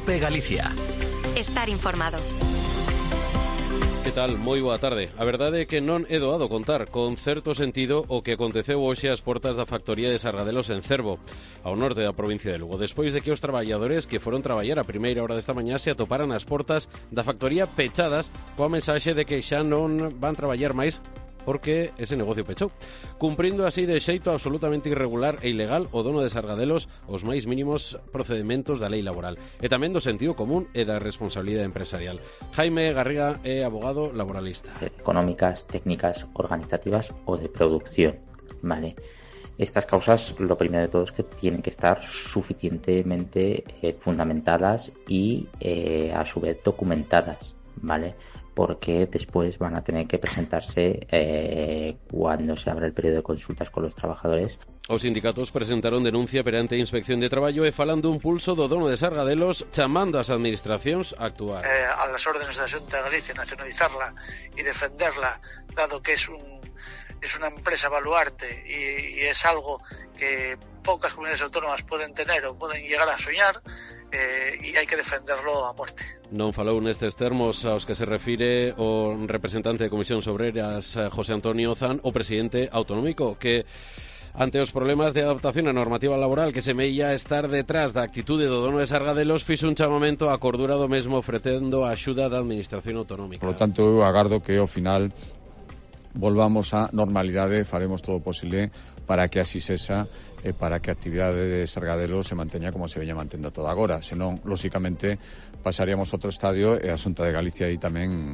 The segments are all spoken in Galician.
COPE Galicia. Estar informado. Que tal? Moi boa tarde. A verdade é que non é doado contar con certo sentido o que aconteceu hoxe ás portas da factoría de Sargadelos en Cervo, ao norte da provincia de Lugo, despois de que os traballadores que foron traballar a primeira hora desta mañá se atoparan ás portas da factoría pechadas coa mensaxe de que xa non van traballar máis porque ese negocio pechou, cumprindo así de xeito absolutamente irregular e ilegal o dono de Sargadelos os máis mínimos procedementos da lei laboral e tamén do sentido común e da responsabilidade empresarial. Jaime Garriga é abogado laboralista. Económicas, técnicas, organizativas o de producción, ¿vale? Estas causas, lo primero de todo es que tienen que estar suficientemente fundamentadas y a su vez documentadas, ¿vale? Porque después van a tener que presentarse cuando se abra el periodo de consultas con los trabajadores. Os sindicatos presentaron denuncia perante a Inspección de Traballo e falando un pulso do dono de Sargadelos chamando ás administracións a actuar. A las órdenes da Xunta de Galicia, nacionalizarla y defenderla, dado que es una empresa baluarte y es algo que pocas comunidades autónomas pueden tener o pueden llegar a soñar, y hay que defenderlo a muerte. Non falou nestes termos aos que se refire o representante de Comisións Obreras, José Antonio Zan, o presidente autonómico, que ante os problemas de adaptación á normativa laboral que semella estar detrás da actitude do dono de Sargadelos, fixo un chamamento á cordura do mesmo ofrecendo a axuda da administración autonómica. Por lo tanto, eu agardo que ao final volvamos á normalidade e faremos todo o posible para que así sexa e para que a actividade de Sargadelos se manteña como se veña mantendo toda agora. Senón, lóxicamente, pasaríamos outro estadio e a Xunta de Galicia aí tamén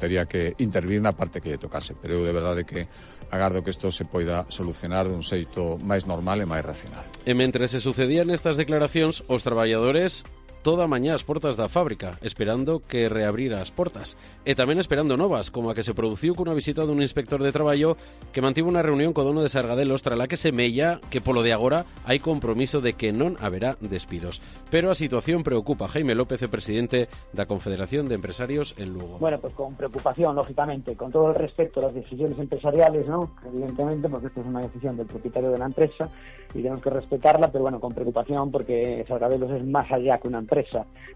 tería que intervir na parte que lle tocase. Pero eu de verdade que agardo que isto se poida solucionar dun xeito máis normal e máis racional. E mentre se sucedían estas declaracións, os traballadores toda a mañá as portas da fábrica, esperando que reabrira as portas. E tamén esperando novas, como a que se produciu cunha visita dun inspector de traballo que mantivo unha reunión co dono de Sargadelos trala que semella que polo de agora hai compromiso de que non haberá despidos. Pero a situación preocupa. Jaime López, presidente da Confederación de Empresarios en Lugo. Bueno, pues con preocupación, lógicamente, con todo el respeto a las decisiones empresariales, ¿no? Evidentemente, porque esto es una decisión del propietario de la empresa y tenemos que respetarla, pero bueno, con preocupación porque Sargadelos es más allá que una empresa.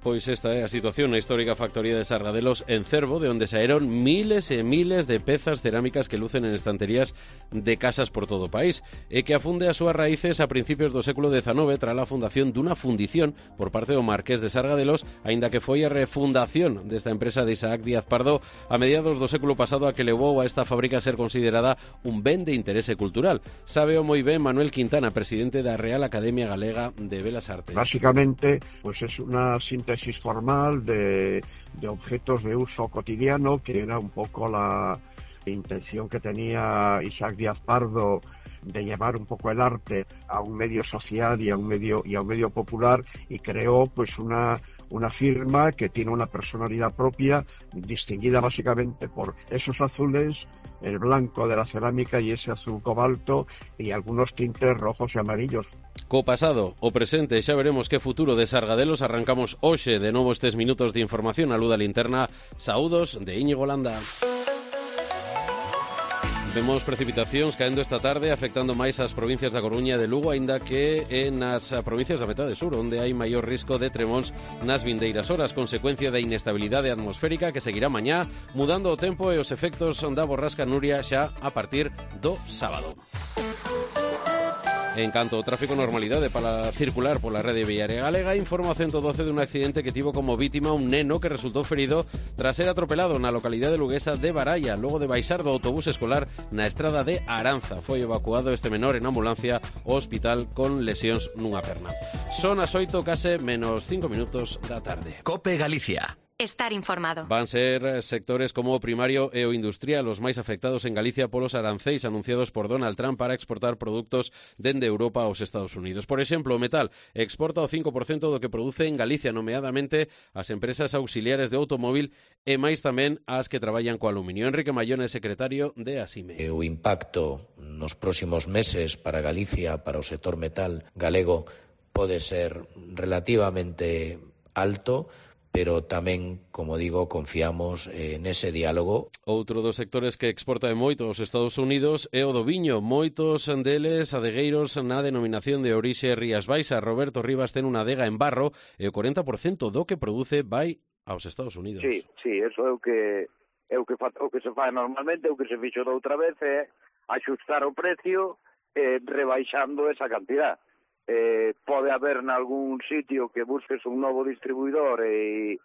Pois esta é a situación na histórica factoría de Sargadelos en Cervo, de onde saeron miles e miles de pezas cerámicas que lucen en estanterías de casas por todo o país, e que afunde as súas raíces a principios do século XIX tras a fundación dunha fundición por parte do Marqués de Sargadelos, aínda que foi a refundación desta empresa de Isaac Díaz Pardo a mediados do século pasado a que levou a esta fábrica a ser considerada un ben de interese cultural. Sábeo moi ben Manuel Quintana, presidente da Real Academia Galega de Belas Artes. Básicamente, pues es una síntesis formal de objetos de uso cotidiano, que era un poco la intención que tenía Isaac Díaz Pardo de llevar un poco el arte a un medio social y a un medio popular, y creó pues una firma que tiene una personalidad propia, distinguida básicamente por esos azules, el blanco de la cerámica y ese azul cobalto y algunos tintes rojos y amarillos. Co pasado, o presente, xa veremos que futuro de Sargadelos. Arrancamos hoxe de novo estes minutos de información a Luda Linterna. Saúdos de Íñigo Landa. Vemos precipitacións caendo esta tarde, afectando máis as provincias da Coruña e de Lugo, aínda que nas provincias da metade sur, onde hai maior risco de tremóns nas vindeiras horas, consecuencia da inestabilidade atmosférica que seguirá mañá, mudando o tempo e os efectos da borrasca Nuria xa a partir do sábado. En canto ao tráfico, normalidade para circular pola rede viaria galega. Informa o 112 dun accidente que tivo como vítima un neno que resultou ferido tras ser atropelado na localidade luguesa de Baralla, logo de baixar do autobús escolar na estrada de Aranza. Foi evacuado este menor en ambulancia ao hospital con lesións nunha perna. Son as 8, case menos 5 minutos da tarde. COPE Galicia. Estar informado. Van ser sectores como o primario e o industrial os máis afectados en Galicia polos arancéis anunciados por Donald Trump para exportar produtos dende Europa aos Estados Unidos. Por exemplo, o metal exporta o 5% do que produce en Galicia, nomeadamente as empresas auxiliares de automóvil e máis tamén as que traballan co aluminio. Enrique Mayón é secretario de ASIME. O impacto nos próximos meses para Galicia, para o sector metal galego, pode ser relativamente alto, pero tamén, como digo, confiamos nese diálogo. Outro dos sectores que exporta moito aos Estados Unidos é o do viño. Moitos deles adegueiros na denominación de orixe Rías Baixas. Roberto Rivas ten unha adega en Barro e o 40% do que produce vai aos Estados Unidos. Sí, eso é o que se fai normalmente, o que se fixo da outra vez é axustar o precio rebaixando esa cantidad. Pode haber nalgún sitio que busques un novo distribuidor e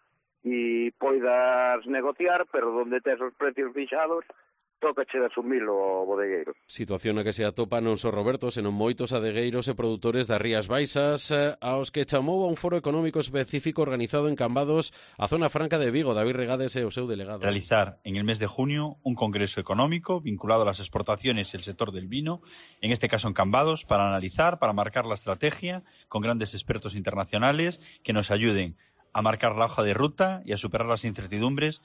poidas negociar, pero donde tes os precios fixados, tócache de asumilo o bodegueiro. Situación na que se atopa non só Roberto, senón moitos adegueiros e produtores das Rías Baixas, aos que chamou a un foro económico específico organizado en Cambados, a zona franca de Vigo. David Regades é o seu delegado. Realizar en el mes de junio un congreso económico vinculado a las exportaciones y el sector del vino, en este caso en Cambados, para analizar, para marcar la estrategia con grandes expertos internacionales que nos ayuden a marcar la hoja de ruta e a superar as incertidumbres.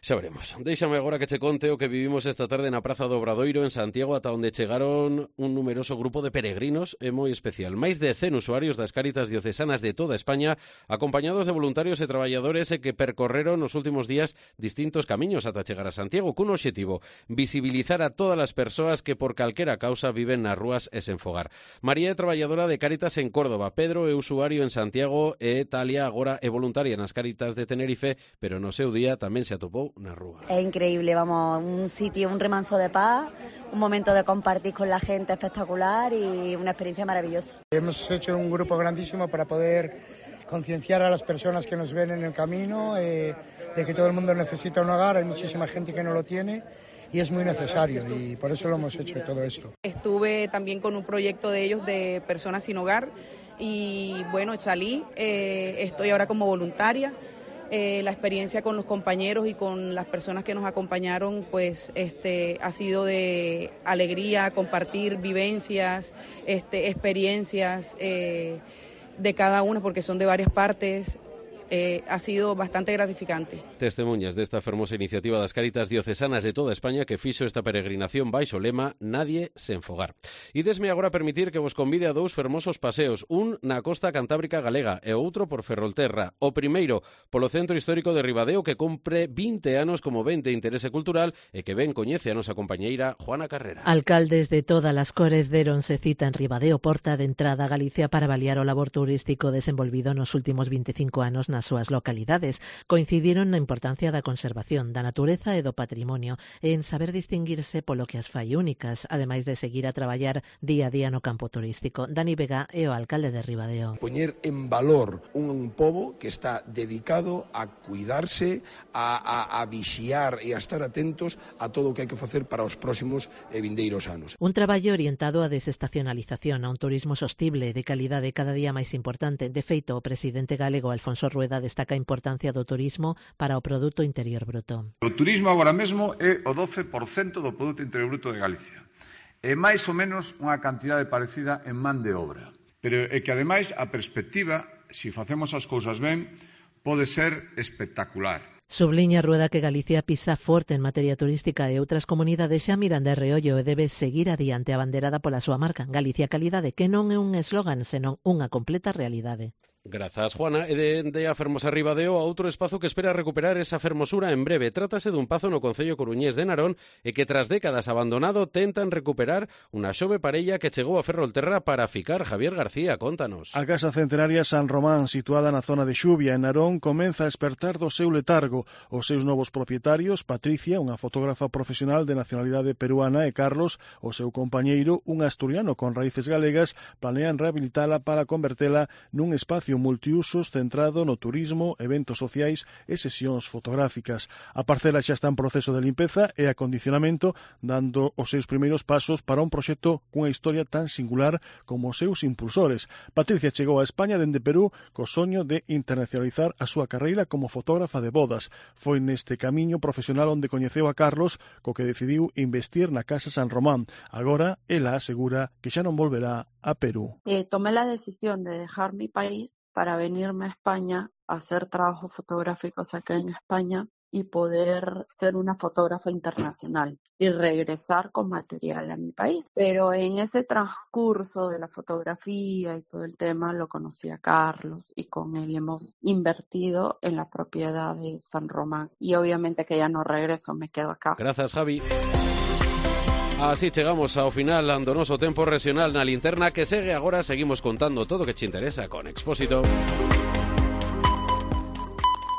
Xa veremos. Déixame agora que che conte o que vivimos esta tarde na Praza do Obradoiro en Santiago, ata onde chegaron un numeroso grupo de peregrinos e moi especial. Máis de 100 usuarios das Cáritas diocesanas de toda España, acompañados de voluntarios e traballadores que percorreron nos últimos días distintos camiños ata chegar a Santiago, cun obxectivo: visibilizar a todas as persoas que por calquera causa viven nas rúas e sen fogar. María é traballadora de Cáritas en Córdoba, Pedro é usuario en Santiago e Talia agora é voluntaria nas Cáritas de Tenerife, pero no seu día tamén se atopou na rúa. É increíble, vamos, un sitio, un remanso de paz, un momento de compartir con la gente espectacular y una experiencia maravillosa. Hemos hecho un grupo grandísimo para poder concienciar a las personas que nos ven en el camino de que todo el mundo necesita un hogar, hay muchísima gente que no lo tiene y es muy necesario y por eso lo hemos hecho todo esto. Estuve también con un proyecto de ellos de personas sin hogar y bueno, salí, estoy ahora como voluntaria. La experiencia con los compañeros y con las personas que nos acompañaron pues ha sido de alegría, compartir vivencias, experiencias de cada uno porque son de varias partes. Ha sido bastante gratificante. Testemunhas desta fermosa iniciativa das Cáritas diocesanas de toda España que fixo esta peregrinación baixo lema Nadie sen fogar. E desme agora permitir que vos convide a dous fermosos paseos, un na costa cantábrica galega e outro por Ferrolterra. O primeiro polo centro histórico de Ribadeo que cumpre 20 anos como ben de interese cultural e que ben coñece a nosa compañeira Juana Carrera. Alcaldes de todas as cores deronse cita en Ribadeo, porta de entrada a Galicia, para avaliar o labor turístico desenvolvido nos últimos 25 anos nas súas localidades. Coincidiron na importancia da conservación da natureza e do patrimonio e en saber distinguirse polo que as fai únicas, ademais de seguir a traballar día a día no campo turístico. Dani Vega é o alcalde de Ribadeo. Poñer en valor un pobo que está dedicado a cuidarse, a vixiar e a estar atentos a todo o que hai que facer para os próximos e vindeiros anos. Un traballo orientado á desestacionalización, a un turismo sostible de calidade cada día máis importante. De feito, o presidente galego Alfonso Rueda destaca a importancia do turismo para o Produto Interior Bruto. O turismo agora mesmo é o 12% do Produto Interior Bruto de Galicia. É máis ou menos unha cantidade parecida en man de obra. Pero é que, ademais, a perspectiva, se facemos as cousas ben, pode ser espectacular. Subliña Rueda que Galicia pisa forte en materia turística e outras comunidades xa miran de reollo e debe seguir adiante abanderada pola súa marca Galicia Calidade, que non é un eslogan, senón unha completa realidade. Grazas, Juana. E de a fermosa Ribadeo a outro espazo que espera recuperar esa fermosura en breve. Trátase dun pazo no concello coruñés de Narón e que tras décadas abandonado tentan recuperar unha xove parella que chegou a Ferrolterra para ficar. Javier García, contanos. A Casa Centenaria San Román, situada na zona de Xuvia, en Narón, comeza a espertar do seu letargo. Os seus novos propietarios, Patricia, unha fotógrafa profesional de nacionalidade peruana, e Carlos, o seu compañeiro, un asturiano con raíces galegas, planean rehabilitala para convertela nun espacio multiusos centrado no turismo, eventos sociais e sesións fotográficas. A parcela xa está en proceso de limpeza e acondicionamento, dando os seus primeiros pasos para un proxecto cunha historia tan singular como os seus impulsores. Patricia chegou a España dende Perú co soño de internacionalizar a súa carreira como fotógrafa de bodas. Foi neste camiño profesional onde coñeceu a Carlos, co que decidiu investir na Casa San Román. Agora, ela asegura que xa non volverá a Perú. Tomé la decisión de dejar mi país para venirme a España a hacer trabajos fotográficos acá en España y poder ser una fotógrafa internacional y regresar con material a mi país. Pero en ese transcurso de la fotografía y todo el tema lo conocí a Carlos y con él hemos invertido en la propiedad de San Román y obviamente que ya no regreso, me quedo acá. Gracias, Javi. Así chegamos ao final do noso tempo regional na linterna que segue agora. Seguimos contando todo o que te interesa con Expósito.